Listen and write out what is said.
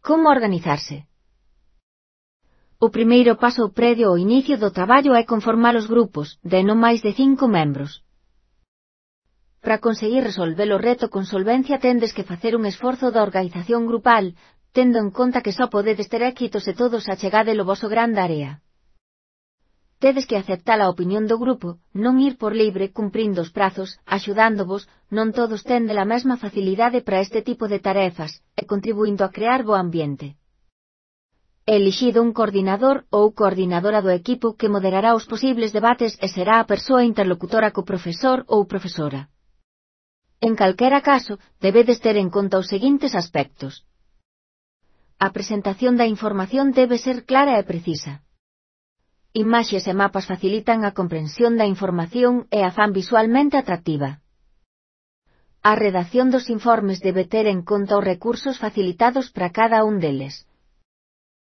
Como organizarse? O primeiro paso previo ao inicio do traballo é conformar os grupos, de non máis de 5 membros. Para conseguir resolver o reto con solvencia tendes que facer un esforzo da organización grupal, tendo en conta que só podedes ter éxito se todos achegades o voso grande área. Tedes que aceptar a opinión do grupo, non ir por libre cumprindo os prazos, axudándovos, non todos tenden a mesma facilidade para este tipo de tarefas, e contribuindo a crear bo ambiente. Elixido un coordinador ou coordinadora do equipo que moderará os posibles debates e será a persoa interlocutora co profesor ou profesora. En calquera caso, debedes ter en conta os seguintes aspectos. A presentación da información debe ser clara e precisa. Imaxes e mapas facilitan a comprensión da información e a fan visualmente atractiva. A redacción dos informes debe ter en conta os recursos facilitados para cada un deles.